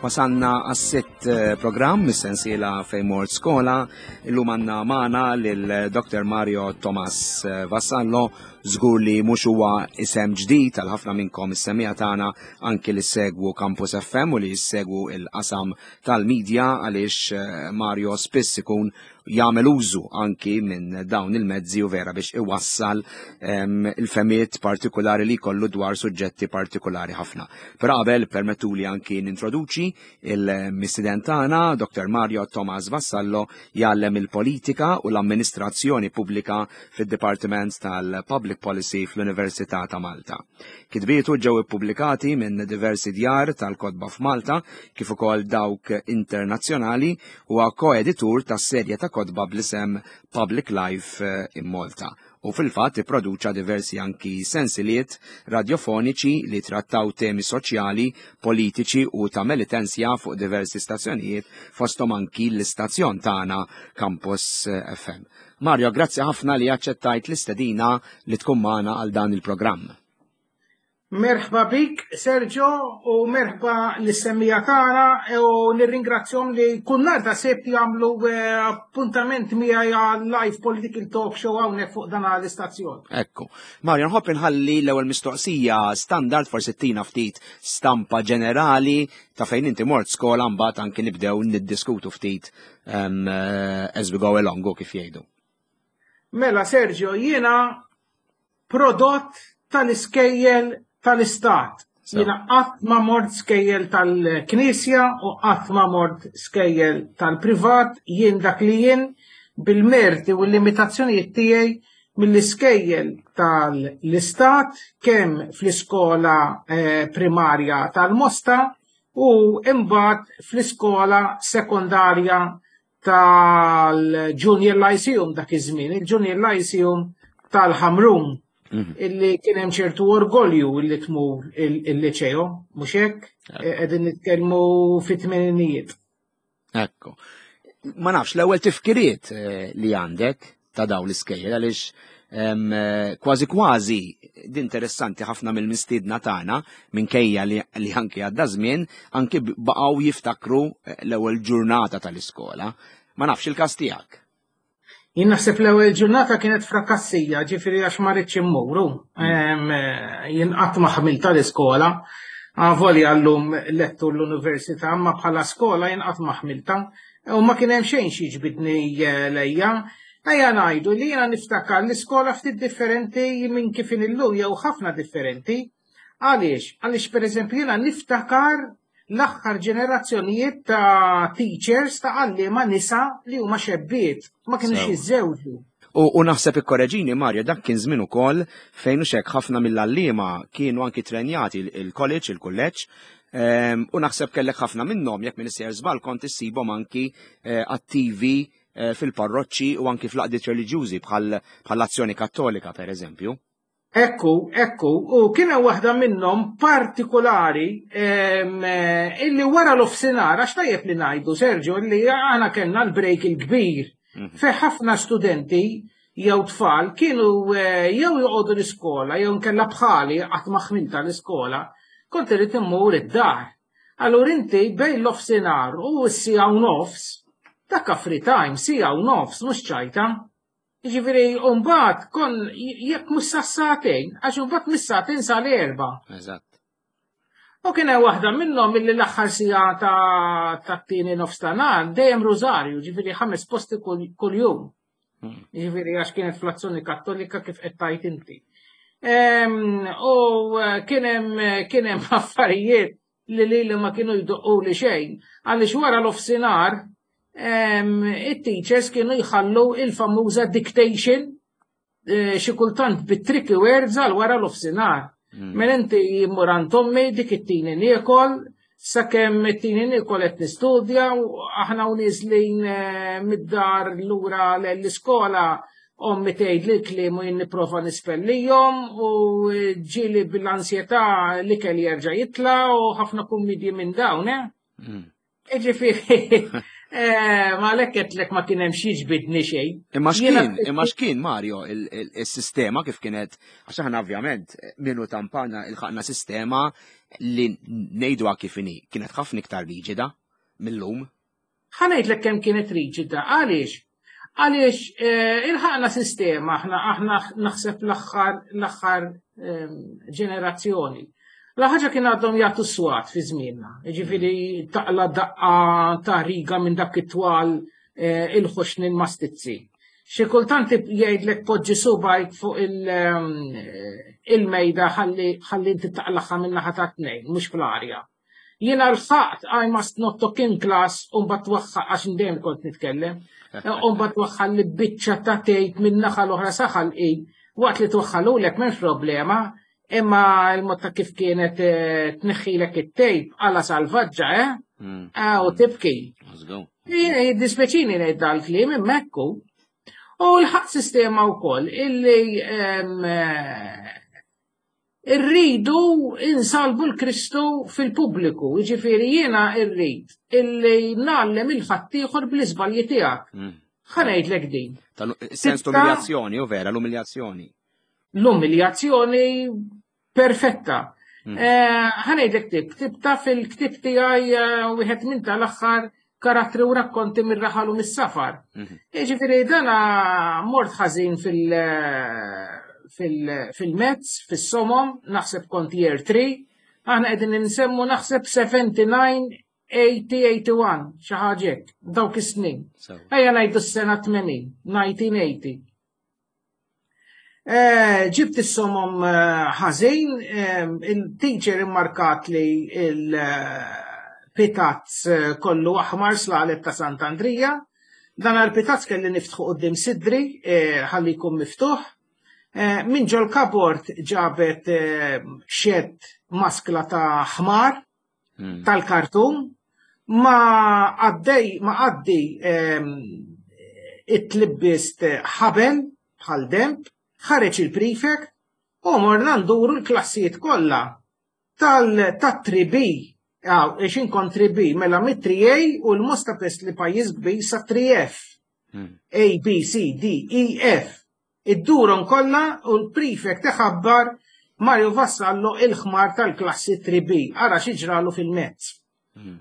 Wasanna għas-sitt eh, programm mis-sensiela fejn mort skola. Illum għandna magħna lil Dr. Mario Thomas eh, Vassallo, żgur li mhux huwa isem ġdid għal ħafna minnkom is-semija tagħna anki li segwu Campus FM u li jissegwu il-qasam tal-medja għaliex eh, Mario spiss ikun jagħmel użu anki minn dawn il-mezzi u vera biex iwassal ehm, il-femiet partikolari li jkollu dwar suġġetti partikolari ħafna. Però qabel permettuli anki nintroduċi il-mistiden tagħna, Dr. Mario Thomas Vassallo, jgħallem il-politika u l-amministrazzjoni pubblika fid-Dipartiment tal-Public Policy fl-Università ta' Malta. Kitbietu ġew ippubblikati minn diversi djar tal-kotba f'Malta kif ukoll dawk internazzjonali huwa koeditur tas-serje ta' kotba bl-isem Public Life eh, in Malta u fil-fatt ipproduċa diversi anki sensiliet radjofoniċi li trattaw temi soċjali, politiċi u ta' melitensja fuq diversi stazzjonijiet fosthom anki l-istazzjon tagħna Campus eh, FM. Mario, grazzi ħafna li aċċettajt l-istedina li tkun magħna għal dan il-programm. Merħba bik, Sergio, u merħba lis-semmija tagħna u nirringrazzjom li kull nhar ta' Sibt jagħmlu eh, appuntament miegħi għal live political talk show hawnhekk fuq dan l-istazzjon. Ekku. Mario, nħobb inħalli l-ewwel mistoqsija standard forsi tina ftit stampa ġenerali ta' fejn inti mort skola mbagħad anki nibdew niddiskutu ftit um, as we go along kif jgħidu. Mela Sergio, jiena prodott tal-iskejjel tal-istat. Jiena qatt ma mort skejjel tal-knisja u qatt ma mort skejjel tal-privat, jien dak li jien bil-merti u l-limitazzjonijiet tiegħi mill-iskejjel tal-istat kemm fl-iskola eh, primarja tal-Mosta u imbagħad fl-iskola sekondarja tal-Junior Lyceum dak iż-żmien, il-Junior Lyceum tal-Ħamrun mhm. illi kien hemm ċertu orgolju illi tmur il-liċeo, mhux hekk? E, qegħdin nitkellmu fit-tmeninijiet. Ekku. Ma nafx, l-ewwel tifkiriet eh, li għandek ta' dawn l-iskejjel għaliex eh, kważi kważi interessanti ħafna mill-mistiedna tagħna minkejja li, li anki għadda żmien anki baqgħu jiftakru eh, l-ewwel ġurnata tal-iskola. Ma nafx il-każ tiegħek. Jien naħseb l-ewwel ġurnata kienet frakassija, ġifieri għax ma rridx immuru. Eh, jien qatt ma ħmilta l-iskola. Avolja llum lettu l-università, ma bħala skola jien qatt ma ħmilta. U ma kien hemm xejn xi ġbidni eh, lejja. Ejja ngħidu li jiena niftakar l-iskola ftit differenti minn kif illum jew ħafna differenti. Għaliex? Għaliex pereżempju jiena niftakar l-aħħar ġenerazzjonijiet ta' teachers ta' għalliema nisa li huma xebbiet, ma kienux jiżżewġu. U, u naħseb ikkoreġini Mario, dak kien żmien ukoll fejn hekk ħafna mill-għalliema kienu anki trenjati il-college, il-kulleġġ, ehm, u naħseb kellek ħafna minnhom jekk minn sejjer żball kont issibhom anki eh, attivi eh, fil-parroċċi u anki fl-qdiet reliġjużi bħall-Azzjoni Kattolika pereżempju. Ekku, ekku, u kien hemm waħda minnhom partikolari illi wara l-ofsinhar, għax tajjeb li ngħidu Sergio li aħna kellna l-break il-kbir mhm. fejn ħafna studenti jew tfal kienu eh, jew joqogħdu l-iskola jew nkella bħali qatt ma ħmilta l-iskola, kont irid immur id-dar. Allura inti bejn l-ofsinhar u s-sija u nofs, dakka free time, sija u nofs, mhux ċajta. Jiġifieri mbagħad kon jekk mhux sas-sagħtejn, għax imbagħad mis-sagħtejn sal-erba'. Eżatt. U kien hemm waħda minnhom illi l-aħħar siegħa tat-tieni nofs ta' nhar dejjem rużarju, ġifieri ħames posti kuljum. Hmm. Ġifieri għax kienet fl-azzjoni kattolika kif qed tajt inti. U eh, kien hemm kien hemm affarijiet li lili ma kienu jdoqqu li xejn, għaliex wara l-ofsinar it-teachers kienu jħallu il-famuża dictation eh, xi kultant bit-tricky words għal wara l-ofsinar. Mm. Mela inti jimmur għand ommi dik it-tini niekol, sakemm it-tini niekol qed nistudja u aħna u niżlin eh, mid-dar lura l-iskola Ommi tgħid li l-kliem u jien nipprova nispellihom u ġieli bil-ansjetà l-ikel jerġa' jitla' u ħafna kummidji minn dawn, eh? Mm. Ġifieri, eh, ma lek qedlek ma kien hemm xi ġbidni xejn. Imma x'kien, imma x'kien Mario il-sistema kif kienet, għax aħna ovvjament minnu tampana il-ħaqna sistema. li ngħiduha kif inhi kienet ħafna iktar riġida mill-lum. Ħa ngħidlek kemm kienet riġida, għaliex? Għaliex eh, ilħaqna sistema aħna aħna naħseb l-aħħar l-aħħar ehm, ġenerazzjoni. La ħaġa kien għadhom jagħtu swat fi żmienna, jiġifieri taqla daqqa ta' riga minn dak it-twal eh, il-ħoxnin mastizzi. Xi kultant jgħidlek poġġi subajk fuq ehm, il-mejda ħalli ħalli inti taqlaħħa minn naħa ta' tnejn, mhux fl-arja. Jiena l-ħaqt I must not talk in class u mbagħad twaħħal għax dejjem kont nitkellem. U mbagħad twaħħal li biċċa ta' tgħid minn naħa l-oħra saħal i waqt li twaħħalulek m'hemmx problema, imma l-mod ta' kif kienet eh, tneħħilek it-tejp għala salvaġġa, eh? Mm. Ah, u tibki. Jiddispeċini ngħid dal-kliem imma hekk hu. U l-ħaq sistema wkoll illi eh, Irridu insalbu l-Kristu fil-pubbliku, jiġifieri jiena rrid illi ngħallem il-ħaddieħor bl-iżbalji tiegħek. Mm. Ħa ngħidlek din. Sens l-umiljazzjoni, u vera, l-umiljazzjoni. L-umiljazzjoni perfetta. Mm. Eh, ħa ngħidlek tib, ktibta fil-ktib tiegħi eh, wieħed minn tal-aħħar karattri u rakkonti mir-raħal u mis-safar. Mhm. Jiġifieri dana mort ħażin fil-mezz, fis-somom, naħseb kont year 3, aħna qegħdin nsemmu naħseb 79 80, 81, xi ħaġa hekk, dawk is-snin. Ejja ngħidu s-sena 80, 1980. Eh, ġibt is-somom eh, ħażin, eh, il-teacher immarkat li il-pitazz kollu aħmar slalet ta' Sant'Andrija. Dan għal-pitazz kelli niftħu qudiem sidri ħalli jkun miftuħ. Minn ġol kabord ġabet xed maskla ta' ħmar hmm. tal-kartun ma għaddej ma għaddi ehm, it-tlibbist ħabel bħal demp, ħareġ il-prefect u morna nduru l-klassijiet kollha tal-3B għaw, ixin kon 3B, mela mit-3A u l-mosta pest li pajjiż kbir sa 3F. Hmm. A, B, C, D, E, F. Iddurhom kollha u l-prefect iħabbar Mario Vassallo il-ħmar tal-klassi 3B. Ara xi ġralu fil-mezz. Hmm.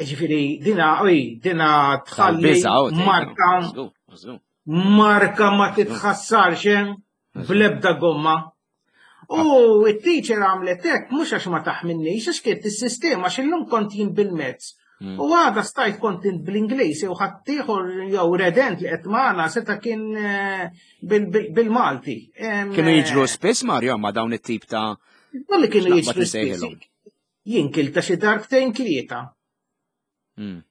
Ġifieri dina oj, dina tħalli marka marka ma titħassarx eh, bl-ebda gomma. U it-teacher għamlet hekk mhux għax ma taħminnix, għax kienet is-sistema għax illum kont jien bil-mezz. Hmm. U għada stajt kont int bl-Ingliż jew ħaddieħor jew redent li qed magħna seta' kien eh, bil-Malti. Kienu jiġru eh, spiss Mario ma dawn it-tip ta' Li kienu jiġru spiss. Jien kilta xi darbtejn tlieta. Hmm.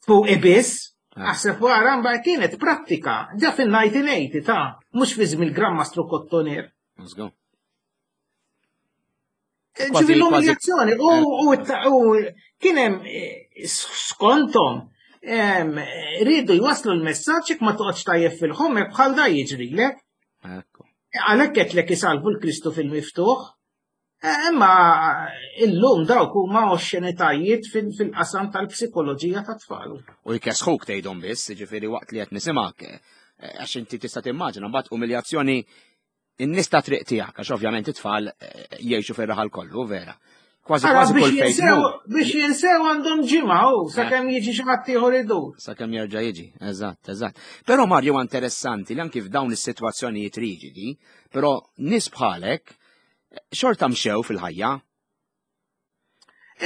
Fuq ibiss, ah. aħseb wara mbagħad kienet prattika, ġa fil-1980 ta' mhux fi żmien il-Gran Mastru Kottoner. Let's go. Eh, ġifi l-umiljazzjoni u eh. kien hemm eh, skontom rridu jwaslu l-messaġġ jekk ma toqgħodx tajjeb fil-ħomek bħal da jiġrilek. Għalhekk qed isalvu l-Kristu fil-miftuħ. Imma illum dawk huma oxxenitajiet fil-qasam tal-psikoloġija tat-tfal. U jkessħuk tgħidhom biss, jiġifieri waqt li qed nisimgħek, eh, għax inti tista' timmaġina mbagħad umiljazzjoni in-nies ta' triq tiegħek, għax ovvjament it-tfal eh, jgħixu fir-raħal kollu, vera. Kważi kważi kull fejn. Biex jinsew għandhom ġimgħa u eh. sakemm jiġi xi ħadd ieħor idur. Sakemm jerġa' jiġi, eżatt, eżatt. Però Mario interessanti li anki f'dawn is-sitwazzjonijiet riġidi, però nies bħalek xorta mxew fil-ħajja.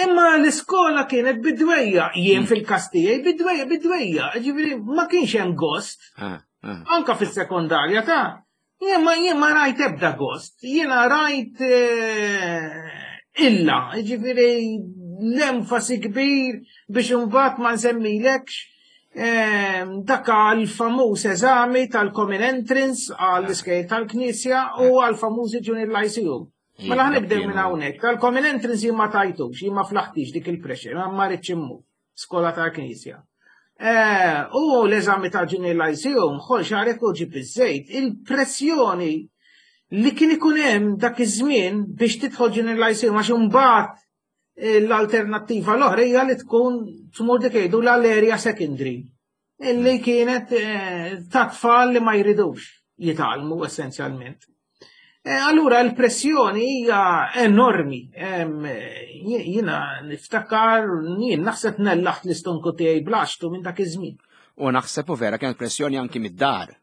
Imma l-iskola kienet bidwejja, jien hmm. fil-kastijaj bidwejja, bidwejja, ġifieri ma kienx hemm gost. Ah, ah. Anka fis-sekondarja ta' jien ma jien ma rajt ebda gost, jiena rajt eh, illa, ġifieri l-enfasi kbir biex imbagħad ma nsemmilekx Ehm, dak għal-famuż eżami tal-Common Entrance għall-iskejl tal-Knisja u għal-famużi Junior Lyceum. Mela ħanibdew minn hawnhekk. Tal-Common Entrance jien ma tajtux, jien ma flaħtix dik il-pressure, ma rridx immur skola tal-Knisja. Eh, u l-eżami tal-Junior Lyceum ħol xarek u ġib iż-żejt, il-pressjoni li kien ikun hemm dak iż-żmien biex tidħol Junior Lyceum għax imbagħad L-alternattiva l-oħra hija li tkun tmur dik jgħidu l-area secondary, illi kienet eh, ta' tfal li ma jridux jitgħallmu essenzjalment. Allura l-pressjoni hija enormi. Jiena niftakar, jien naħseb nellaħt l-istonku tiegħi blaxtu minn dak iż-żmien. U naħseb u vera kienet pressjoni anki mid-dar.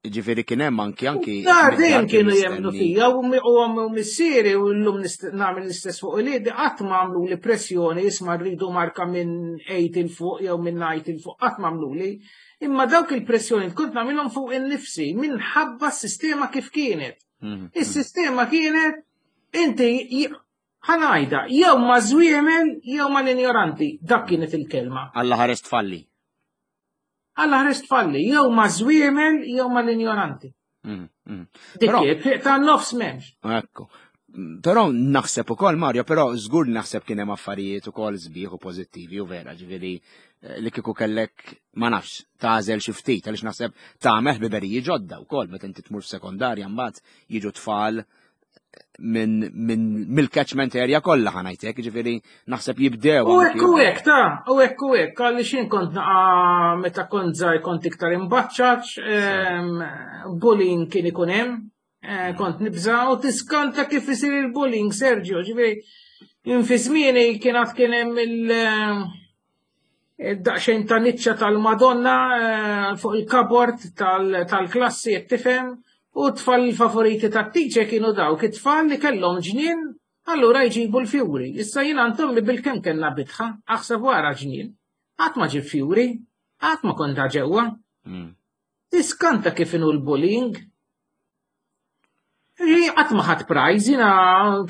Ġifieri kien hemm anki anki. Dar dejjem kienu jemmnu fija u u missieri u llum nagħmel l-istess fuq il qatt ma għamlu li pressjoni isma' rridu marka minn 8 il fuq jew minn 9 il fuq qatt ma għamlu li. Imma dawk il-pressjoni kont nagħmilhom fuq innifsi minħabba s-sistema kif kienet. Mhm. Is-sistema kienet inti ħanajda jew ma' żwiemel jew ma' l-injoranti, dak kienet il-kelma. Alla ħares tfalli. Alla ħares tfalli, jew ma' żwiemel jew ma' l-injoranti. Mm, mm. Dik ta' nofs m'hemmx. Ekku. Però naħseb ukoll Mario, però żgur naħseb kien hemm affarijiet ukoll sbieħ u pożittivi u vera, ġifieri eh, li kieku kellek ma nafx tagħżel xi ftit għaliex naħseb tagħmel ħbiberiji ġodda wkoll meta inti tmur f'sekondarja mbagħad jiġu tfal minn min, mill-catchment area kollha ħanajtek, ġifieri naħseb jibdew. U hekk u hekk ta' u hekk u hekk, għalli xin kont naqa' meta kont żgħir kont iktar imbaċċaċ, bullying kien ikun hemm, eh, kont nibża' u tiskanta kif isir il-bullying, Sergio, ġifieri fi żmieni kien għad kien hemm il- eh, daqsxejn ta' niċċa tal-Madonna eh, fuq il-kabord tal-klassi qed tifhem u tfal il-favoriti tat-teacher kienu dawk it-tfal li kellhom ġnien allura jġibu l-fjuri. Issa jien għand ommi bil-kemm kellna bitħa, aħseb wara ġnien. Qatt ma ġib fjuri, qatt ma kont ġewwa. Hmm. Tiskanta kif inhu l-bullying. Qatt ma ħadd prize, jiena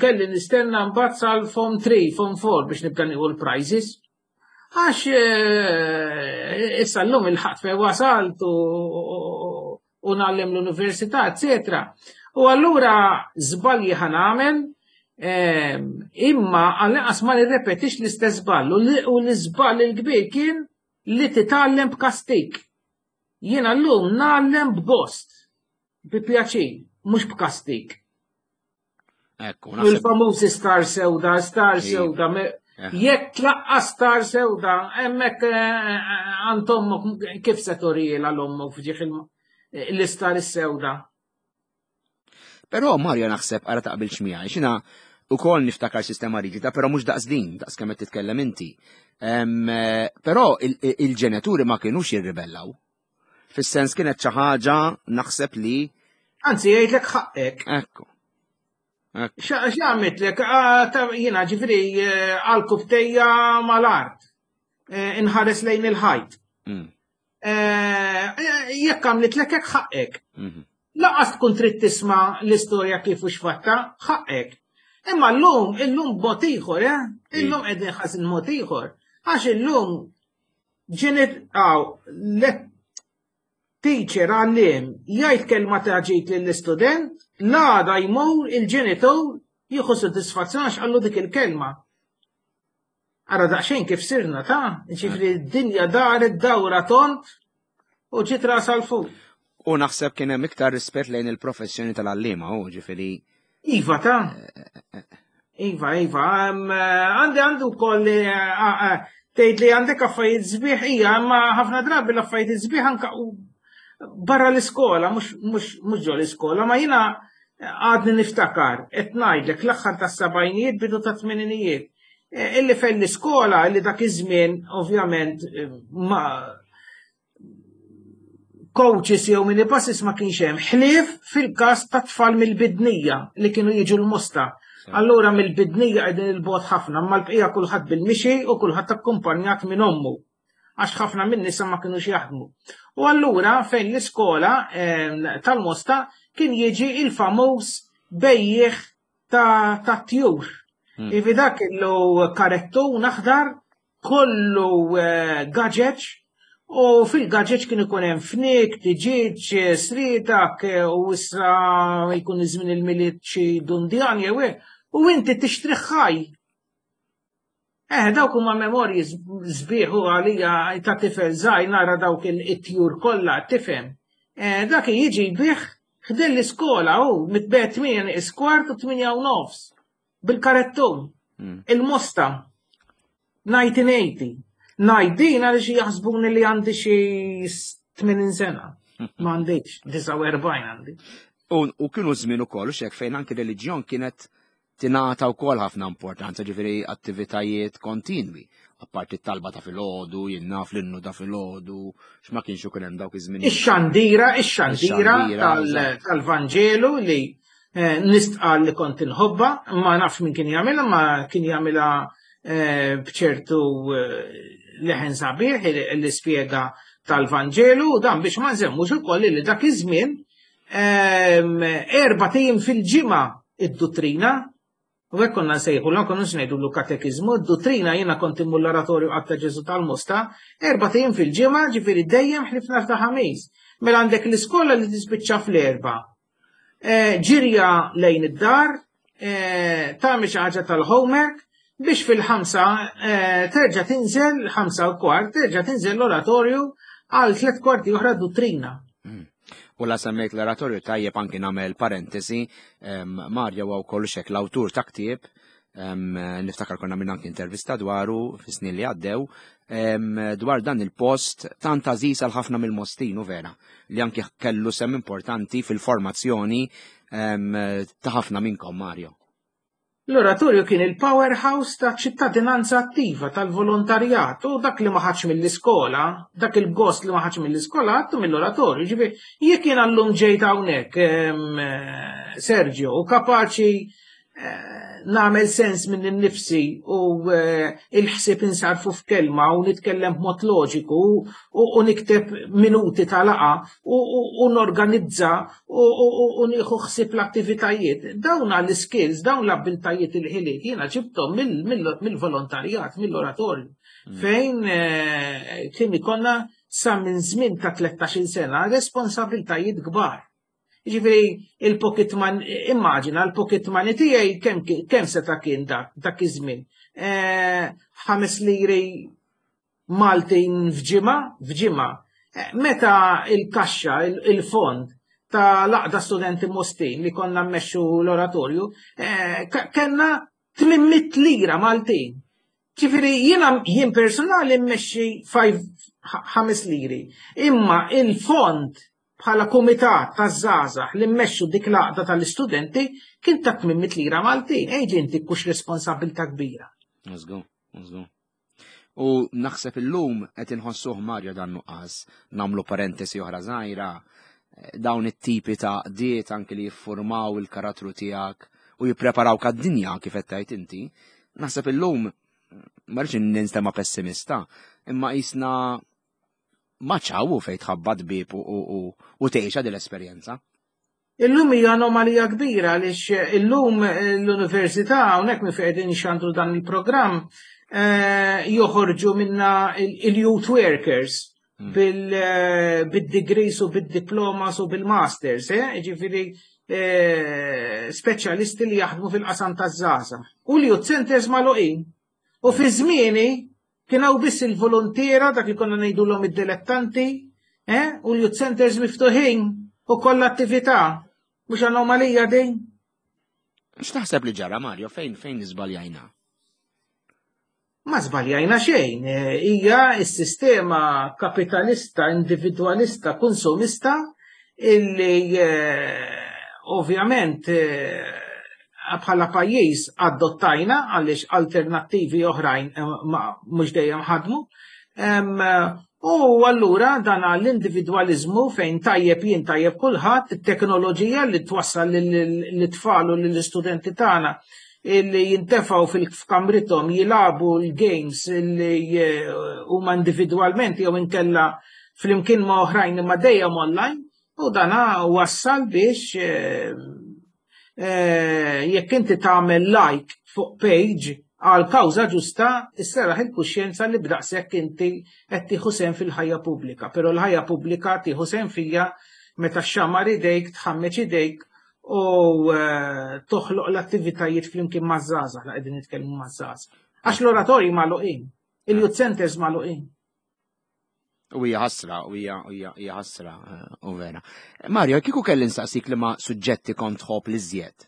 kelli nistenna mbagħad sal form 3, form 4 biex nibda nieħu l-prizes. Għax eh, issa llum il-ħadd fejn wasalt u ngħallem l-università, eccetera. U allura żbalji ħa nagħmel, eh, imma għall-inqas ma nirrepetix l-istess żball u l-iżball il-kbir kien li titgħallem b'kastik. Jiena llum ngħallem b'gost, bi pjaċir, mhux b'kastik. Ekku, Il-famużi star sewda, star sewda. Jekk tlaqqa star sewda, hemmhekk eh, eh, għand ommok kif se turiela l-ommok fġieħ l-istar is-sewda. Però Mario naħseb ara taqbilx miegħi, xina ukoll niftakar sistema riġida, però mhux daqs din, daqs kemm qed titkellem inti. Eh, però il-ġenituri ma kinux jirribellaw. Fis-sens kienet xi ħaġa naħseb li. Anzi jgħidlek ħaqqek. Ekku. X'għamitlek? Ah, jiena ġifieri eh, għal kubtejja mal-art. Eh, inħares lejn il-ħajt. Mm. Eh, jekk għamlitlek hekk ħaqqek. Mhm. Laqas tkun trid tisma' l-istorja kif u x'fatta, ħaqqek. Imma llum, illum b'mod ieħor, eh? Illum qegħdin ħażin mod ieħor. Għax illum Ġenit, għaw, teacher għallim jgħid kelma ta' ġid lill-istudent, l-għada jmur il-ġenitur jieħu sodisfazzjon għax qallu dik il-kelma. Ara daqsxejn kif sirna ta' ġifri d-dinja daret dawra tont u ġiet ras għal fuq. U naħseb kien hemm iktar rispett lejn il-professjoni tal-għalliema, u ġifieri. Iva ta' Iva, iva, għandi għandu koll eh, tgħid li għandek affarijiet sbieħ hija, imma ħafna drabi l-affarijiet sbieħ anka barra l-iskola, mhux ġo l-iskola, ma jiena għadni niftakar, qed ngħidlek l-aħħar tas-sebgħinijiet bidu ta' tmeninijiet. Eh, illi fejn l-iskola illi dak iż-żmien ovvjament eh, ma coaches jew minibuses ma kienx hemm ħlief fil-każ ta' tfal mill-bidnija li kienu jiġu l-Mosta. Allura mill-bidnija qegħdin il-bogħod ħafna, imma l-bqija kulħadd bil-mixi u kulħadd akkumpanjat minn ommu għax ħafna minn nisa ma kinux jaħdmu. U allura fejn l-iskola ehm, tal-Mosta kien jiġi il-famuż bejjieħ ta' tjur. Hmm. Ivi dak kellu karettun aħdar kollu eh, gaġeġ u fil-gaġeġ kien ikun hemm fnik, tiġiġ, eh, sritak eh, u issa jkun iż-żmien il-milied xi dundjan jew hekk, u inti tixtri ħaj. Eh, dawk huma memorji sbieħ u għalija ta' tifel żgħir nara dawk it-tjur kollha tifhem. Eh, dak jiġi jbih ħdejn l-iskola u mitbet 8 nieqis kwart u 8 u nofs. bil-karettun, hmm. il-mosta, 1980. Ngħid din għaliex jaħsbuni li għandi xi 80 sena. Ma għandix, 49 għandi. U kienu żmien ukoll xek fejn anki reliġjon kienet tingħata wkoll ħafna importanza, ġifieri attivitajiet kontinwi, apparti t-talba ta' filgħodu, jien naf l-innu ta' filgħodu, x'ma kienx ikun hemm dawk iż-żmien. Ix-xandira, ix-xandira tal-Vanġelu li eh, nistqal li kont inħobba, ma nafx min kien jagħmilha, ma kien jagħmilha eh, b'ċertu eh, leħen sabiħ li spjega tal-Vanġelu u dan biex ma nżemmux ukoll li dak iż-żmien Erbgħat ijiem fil-ġimgħa id-duttrina, u hekk konna nsejħu l konna ngħidu katekiżmu, id-duttrina jiena kont immur l-oratorju qatt ta' Ġesu tal-Mosta, erbgħat ijiem fil-ġimgħa, ġifieri dejjem ħlief nhar ta' Ħamis. Mela għandek l-iskola li tispiċċa fl-erba'. Eh, ġirja lejn id-dar, eh, tagħmel xi ħaġa tal-homework, biex fil-ħamsa eh, terġa' tinżel, 5:15, terġa' tinżel l-oratorju għal 45 oħra duttrina. U la semmejt l-oratorju tajjeb anki nagħmel parentesi, Mario huwa wkoll xek l-awtur ta' ktieb, niftakar konna minn anki intervista dwaru fis-snin li għaddew, dwar dan il-post tant għażiż għal ħafna mill-Mostin u vera li anki kellu sem importanti fil-formazzjoni ta' ħafna minnkom Mario. L-oratorju kien il-powerhouse ta' ċittadinanza attiva tal-volontarjat u dak li ma ħadx mill-iskola, dak il-gost li ma ħadx mill-iskola għattu mill-oratorju. Ġifieri, jekk jiena llum ġejt hawnhekk, Sergio, u kapaċi eh, nagħmel sens minn innifsi u eh, il-ħsieb insarfu f'kelma u nitkellem b'mod loġiku u nikteb minuti ta' laqa u norganizza u nieħu ħsieb l-attivitajiet. Dawn l-skills, dawn l-abbiltajiet il-ħiliet jiena ġibthom mill-volontarjat, mill-oratorju. Fejn eh, kien ikonna sa minn żmien ta' 13-il sena responsabiltajiet kbar. Ġifieri il-pocket money, immaġina l-pocket money tiegħi kemm seta' kien dak dak iż-żmien. Eh, ħames liri Maltin f'ġimgħa, f'ġimgħa. Eh, meta il-kaxxa, il-fond ta' laqda studenti Mostin li konna mmexxu l-oratorju, eh, kellna 800 lira Maltin. Ġifieri jiena jien personali mmexxi 5 liri. Imma il-fond bħala kumitat taż-żgħażagħ li mmexxu dik l-għaqda tal-istudenti kien ta' 800 lira Maltin. Ejġi inti kux responsabilità kbira. Żgur, żgur. U naħseb illum qed inħossuh Mario dan nuqqas, nagħmlu parentesi oħra żgħira, eh, dawn it-tipi ta' qdiet anki li jiffurmaw il-karattru tiegħek u jippreparaw għad-dinja kif qed tgħid inti. Naħseb illum ma rridx ninstema' pessimista, imma qisna ma ċawu fejn tħabbat bib u tgħixha din l-esperjenza. Illum hija anomalija kbira għaliex illum l-università hawnhekk minn fejn qegħdin nxandru dan il-programm eh, joħorġu minna il-youth workers hmm. eh, bil-degrees u bil-diplomas u bil-masters, eh? ġifiri speċjalisti li jaħdmu fil-qasam taż-żgħażagħ. U li youth centers magħluqin. U fi żmieni kien hawn biss il-volontiera dak li konna ngħidulhom id-dilettanti, eh? u l-youth centers miftuħin u kollha attività. Mhux anomalija din? X'taħseb li ġara Mario fejn fejn iżbaljajna? Ma żbaljajna xejn, eh, hija s-sistema kapitalista, individwalista, konsumista illi eh, ovvjament eh, bħala pajjiż adottajna għaliex alternattivi oħrajn eh, mhux dejjem ħadmu. U allura dan l-individwaliżmu fejn tajjeb jien tajjeb kulħadd, it-teknoloġija li twassal l-tfal u l-istudenti tagħna illi jintefgħu fil-kamrithom jilagħbu l-games li eh, huma individwalment jew inkella flimkien ma' oħrajn imma dejjem online, U dana wassal biex eh, eh, jekk inti tagħmel like fuq page għal kawża ġusta, isseraħ il-kuxjenza li b'daqshekk inti qed tieħu sehem fil-ħajja pubblika. Però l-ħajja pubblika tieħu sehem fija meta xxammar idejk, tħammeġ idejk u eh, toħloq l-attivitajiet flimkien maż-żgħażagħ la qegħdin nitkellmu maż-żgħażagħ. Għax l-oratorji magħluqin, il-youth centers magħluqin. U hija ħasra, u hija hija ħasra, eh, u vera. Mario, kieku kelli nsaqsik li ma suġġetti kont tħobb li żjed,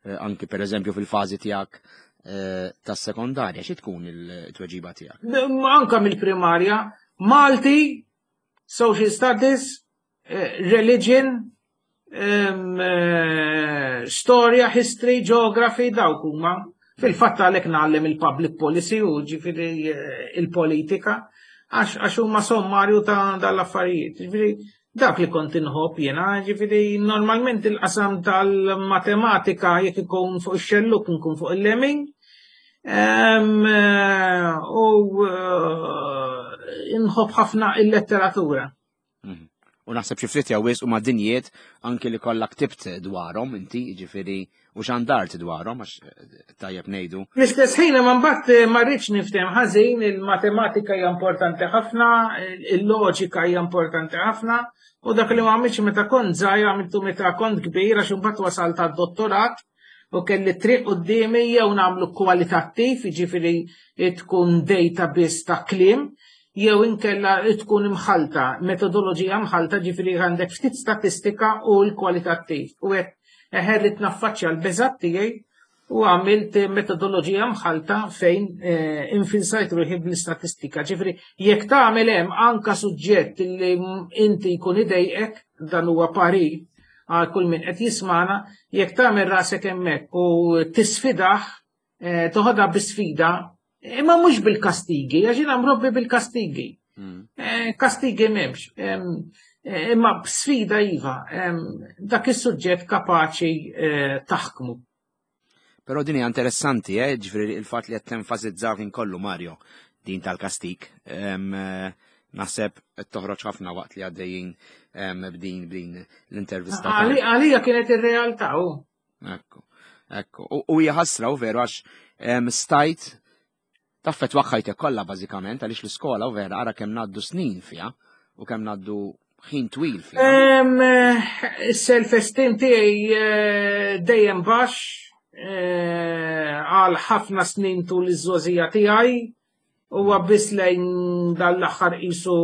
eh, anki per eżempju fil-fażi tiegħek eh, tas-sekondarja, xi tkun il-tweġiba tiegħek? Anka mill-primarja, Malti, Social Studies, Religion, Eh, storja, history, geography, dawk huma. Fil-fatt għalhekk ngħallem il-public policy u ġifieri eh, il-politika għax huma sommarju ta' dal-affarijiet. Ġifieri dak li kont inħobb jiena, ġifieri normalment il-qasam tal-matematika jekk ikun fuq ix-xelluk nkun fuq il-lemin. Eh, u inħobb ħafna il-letteratura. Mhm. U naħseb xi ftit jew wisq huma dinjiet anki li kollha ktibt dwarhom inti, jiġifieri u xandart dwarhom għax eh, tajjeb ngħidu. L-istess ħin ma mbagħad eh, ma rridx niftem ħażin, il-matematika hija importanti ħafna, il-loġika hija importanti ħafna, u dak li ma għamilx meta kont żgħir għamiltu meta kont kbir għax imbagħad wasalt għad-dottorat u kelli triq quddiemi jew nagħmlu kwalitattiv, jiġifieri tkun data biss ta' kliem, jew inkella tkun imħalta, metodoloġija mħalta ġifieri għandek ftit statistika u l-kwalitattiv. U hekk eħe rrid naffaċċja l-beżat tiegħi u għamilt metodoloġija mħalta fejn eh, infilsajt ruħi bl-istatistika. Ġifieri jekk tagħmel hemm anka suġġett li inti jkun idejqek dan huwa parir għal kull min qed jismana, jekk tagħmel rasek hemmhekk u tisfidah, eh, toħodha bi sfida, imma mhux bil-kastigi, għax jiena mrobbi bil-kastigi. Hmm. Eh, kastigi m'hemmx. Eh, imma b'sfida iva, dak is-suġġett kapaċi taħkmu. Però din hija interessanti, eh, ġifieri il-fatt li qed tenfasizzaw kien kollu Mario din tal-kastik. Eh, naħseb qed toħroġ ħafna waqt li għaddejjin b'din b'din l-intervista. Għalija kienet ir-realtà u. Ekku, ekku. U hija ħasra u veru għax stajt taffetwa ħajtek kollha bażikament għaliex l-iskola u vera ara kemm ngħaddu snin fiha u kemm ngħaddu ħin twil fiha. Is-self-esteem tiegħi eh, dejjem baxx eh, għal ħafna snin tul iż-żogħżija tiegħi huwa biss lejn dal-aħħar qisu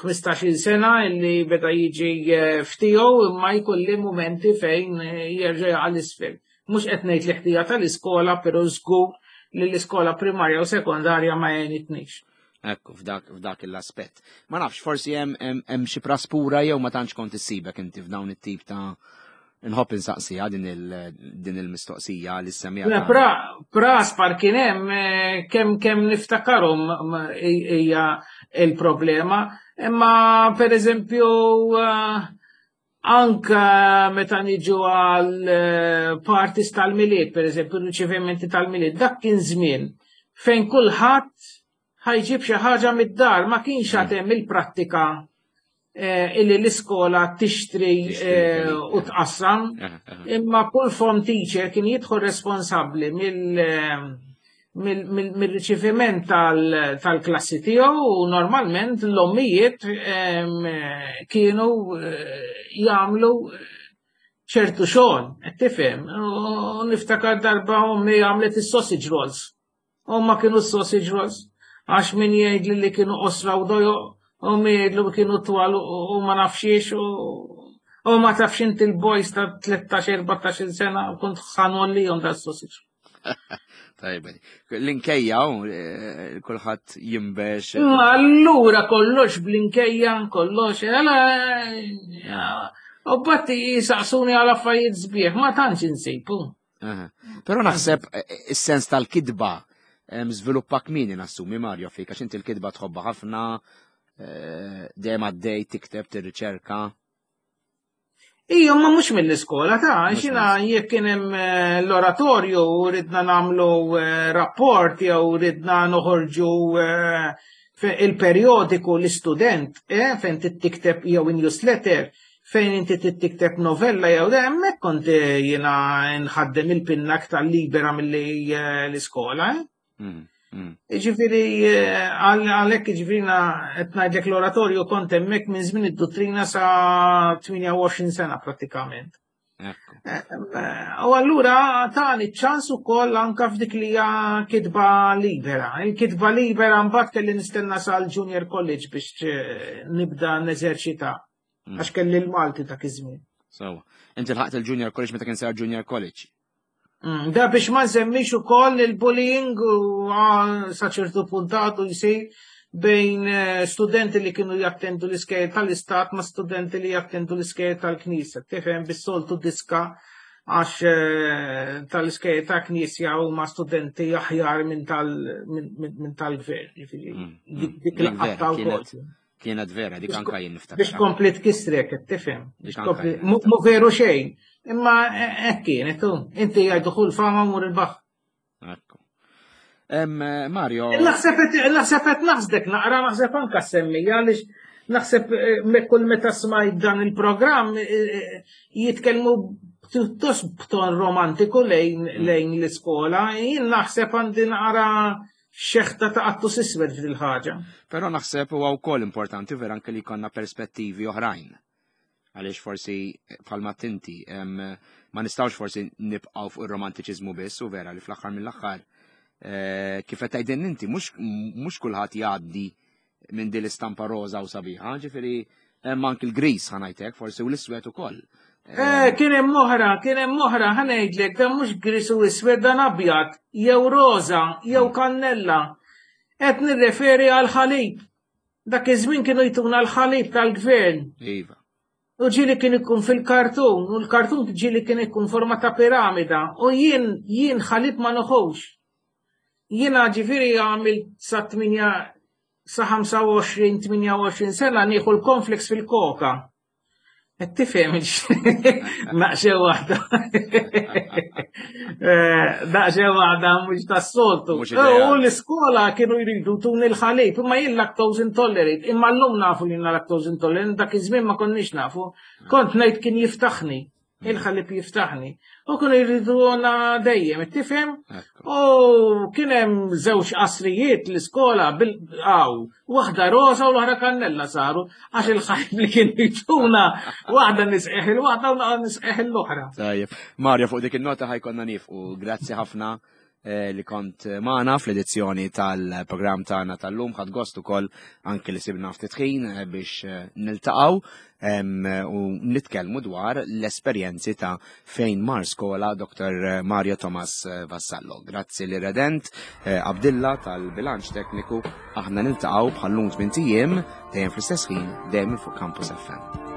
15-il sena illi beda jiġi eh, ftiegħu imma jkolli mumenti fejn jerġa' jaqa' l-isfel. Mhux qed ngħid li ħtija tal-iskola, però żgur li l-iskola primarja u sekondarja ma għenitnix. Ekku, f'dak, f'dak l-aspett. Ma nafx, forsi hemm xi praspura jew ma tantx kont issibek inti f'dawn it-tip ta' nħobb insaqsiha din il-mistoqsija li semmija. Pra, praspar kien hemm eh, kemm kemm niftakarhom hija il-problema, imma per eżempju eh, Anka meta niġu għal eh, parties tal-milied, per eżempju, riċevimenti tal-milied, dak kien żmien fejn kulħadd ħajġib xi ħaġa mid-dar, ma kienx mm. għad hemm il-prattika eh, illi l-iskola tixtri eh, u tqassam, imma kull form teacher kien jidħol responsabbli mill mill-riċeviment tal-klassi tiegħu u normalment l-ommijiet kienu eh, jagħmlu ċertu xogħol, qed tifhem. U niftakar darba ommi għamlet is-sausage rolls. U ma kienu sausage rolls għax min jgħidli li kienu qosra u dojo u min jgħidlu li kienu twal u ma nafxiex u ma tafx inti l-boys ta' 13-14 sena u kont ħanollijom da' sausage. Tajba. L-inkejja, eh, kulħadd jimbex. Ma allura kollox bl-inkejja, kollox, għala. Eh, u batti jisaqsuni għal affarijiet sbieħ, ma tantx insibu. Però naħseb eh, is-sens tal-kidba żviluppa kmieni nassumi Mario fik, għax inti l-kidba tħobba ħafna, dejjem għaddej tikteb, tirriċerka. Ija, ma mhux mill-iskola ta' xina jekk kien hemm eh, l-oratorju u ridna nagħmlu eh, rapport jew ridna noħorġu eh, il-perjodiku l-istudent fejn tikteb jew newsletter fejn inti tikteb novella jew hemmhekk kont jiena nħaddem il-pinna aktar libera milli l-iskola. Mm, mm. Ġifiri, eh, għalek ġifiri qed ngħidlek l-oratorju kont hemmhekk minn żmien id-dottrina sa 28 sena prattikament. Eh, eh, u allura tani ċans ukoll anka f'dik li hija kitba libera. Il-kitba libera mbagħad kelli nistenna sal-Junior College biex nibda neżerċita. Mm. Għax kelli l-Malti dak iż-żmien. Sawa. Inti lħaqt il-Junior College meta kien sar Junior College. Mm, da biex ma nsemmix ukoll il-bullying u ah, sa ċertu puntatu jsir bejn eh, studenti li kienu jattendu l-iskejjel tal-istat ma' studenti li jattendu l-iskejjel tal-knisja. Tifhem bis-soltu diska għax eh, tal-iskejjel ta' knisja huma studenti aħjar minn tal-gvern. Ġifieri, mm, mm. dik il-qatta wkoll. Kienet vera, dik anka jien niftakar. Biex kompli tkissrek, tifhem. Mu veru xejn. Imma eh, hekk kienet, inti jgħidu kull fama mur il-baħ. Ekku. Mario. Naħseb qed naħsdek naqra naħseb anka semmija għaliex naħseb eh, kull meta smajt dan il-programm eh, eh, jitkellmu pjuttost b'ton romantiku lejn mm. lejn l-iskola, jien naħseb għandi naqra xeħta ta' qattu siswed f'dil ħaġa. Però naħseb huwa wkoll importanti vera anke li jkollna perspettivi oħrajn. Għaliex forsi bħalma tinti ma nistgħux forsi nibqgħu fuq ir-romantiċiżmu biss u vera li fl-aħħar mill-aħħar eh, kif qed tgħidin inti mhux kulħadd jgħaddi minn din l-istampa roża u sabiħa, ġifieri hemm anki l-gris ħanajtek forsi u l-iswed ukoll. Eh, kien hemm oħra, kien hemm oħra, ħanejdlek dan mhux gris u iswed dan abjad, jew roża, jew hmm. kannella. Qed nirreferi għal ħalib. Dak iż-żmien kienu jtuna l-ħalib tal-gvern. Iva. U ġieli kien ikun fil-kartun, u l-kartun ġieli kien ikun forma ta' piramida, u jien jien ħalib ma noħux. Jiena ġifieri għamilt sa 8 sa 25-28 sena nieħu l-konfliks fil-koka. Qed tifhem naqxew waħda. Eh, daqxew waħda mhux tas-soltu. U l-iskola kienu jridu tun il-ħalib, imma jien lactose intolerant, imma llum nafu li lactose intolerant, dak iż-żmien ma konniex nafu. Kont ngħid kien jiftaħni. Il-ħalib jiftaħni. U kienu jriduna dejjem, tifhem? U kien hemm żewġ qasrijiet l-iskola bil-għaw, waħda rosa u l-oħra kannella saru, għax il-ħalib li kien jituna waħda nisqeħ il-waħda u nisqeħ l-oħra. Tajjeb, Mario, fuq dik il-nota ħajkonna nifqu. Grazzi ħafna Eh, li kont magħna fl-edizzjoni tal-programm tagħna tal-lum ħadd gost ukoll anke li sibna ftit ħin eh, biex eh, niltaqgħu u nitkellmu dwar l-esperjenzi ta' fejn mar skola Dr. Mario Thomas Vassallo. Grazzi li redent Abdilla tal-bilanċ tekniku aħna niltaqgħu bħal-lum tmien ijiem dejjem fl-istess ħin dejjem fuq Campus FM.